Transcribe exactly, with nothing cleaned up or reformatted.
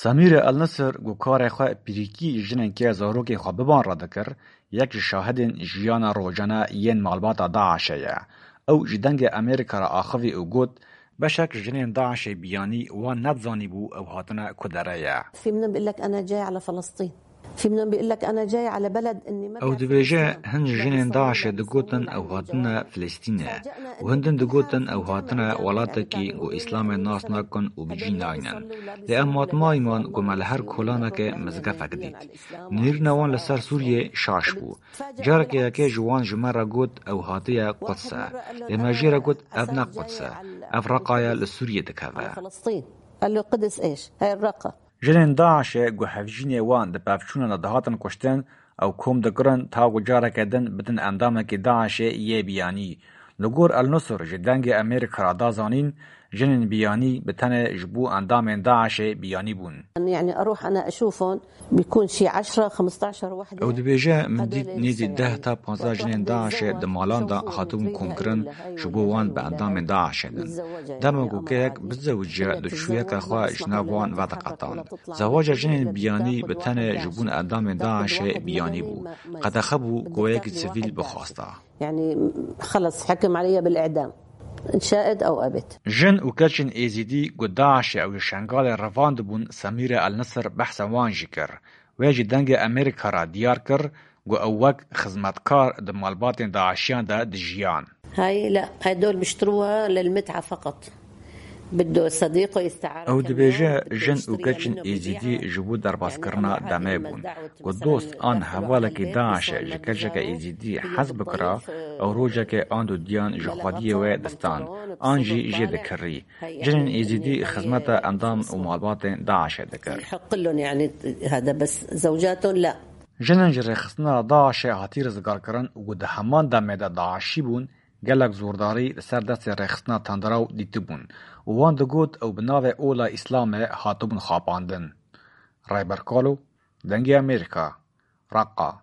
Semîre El Nisir ku karê xwe pîrîkî jinên ke zarokên xwe biban re dikir, yek ji şahidên jiyana rojane yên malbata DAIŞê ye. Ew ji Dengê Amerîka re axivî û got, beşek jinên DAIŞê biyanî wan nedizanîbû ew hatine ku derê ye. في منهم بيقول لك: "أنا جاي على فلسطين." في منهم بيقول لك: "أنا جاي على بلد إني ما Ew بعرف اسمها." Dibêje, hin jinên DAIŞê digotin ew hatine Filistînê û hindin digotin ew hatine welatekî ku Îslamê nas nakin û bi cî naynin. Lê em matmayî man ku me li her kolanekê mizgefek dît. Nêrîna wan li ser Sûriyê şaş bû. Carekê yekê ji wan ji me re got ew hatiye Quds e. Lê me jê re got ev ne Quds e. Ev Reqa ye, li Sûriyê dikeve. على فلسطين. قال له: "قدس إيش؟ هاي الرقة." Jinên DAIŞê ku hevjînê wan di pevçûnan de dihatin kuştin, ew kom dikirin ta ku careke din bidin endamekî DAIŞê yê biyanî. Li gor El Nusr ji Dengê Amerîka re da zanîn, jinên biyanî bi tenê ji bo endamên DAIŞê biyanî bûn. يعني أروح أنا أشوفهم، بيكون شي عشرة، خمستاشر وحدة. Ew dibêje, min dît nêzî deh ta panzdeh jinên DAIŞê di malan de hatibûn komkirin, ji bo wan bi endamên DAIŞê din. Dema ku keyek bizewiciya, diçûyeke xwe ji nav wan vediqetand. Zewaca jinên biyanî bi tenê ji bo endamên DAIŞê biyanî bû. Qedexe bû ku yekî sivîl bixwasta. يعني خلص حكم علي بالإعدام، إن شاءت أو أبت. Jin û keçên Êzîdî ku DAIŞê ew ji Şengalê revandibûn, Semîre El Nisir behsa wan jî kir. Wê ji Dengê Amerîka re diyar kir ku ew wek xizmetkar di malbatên DAIŞiyan de dijiyan. هاي لا، هدول بيشتروها للمتعة فقط. بده صديقه يستعار Ew dibêje, jin û keçên Êzîdî ji bo derbazkirina demê bûn. Ku dost an hevalekî DAIŞê ji keçeke Êzîdî hez bikira, ew rojekê an du diyan ji xwediyê wê distan, an jî jê dikirî. Jinên Êzîdî xizmeta endam û malbatên DAIŞê dikir. يحق لهم يعني هذا، بس زوجاتهم لا. Jinên ji rêxistina DAIŞê hatî rizgarkirin û ku di heman demê de DAIŞî bûn, gelek zordarî li ser destê rêxistina tundrew dîtibûn û wan digot ew bi navê Ola Îslamê hatibûn xapandin. Rayber Kalo, Dengê Amerîka, Reqa.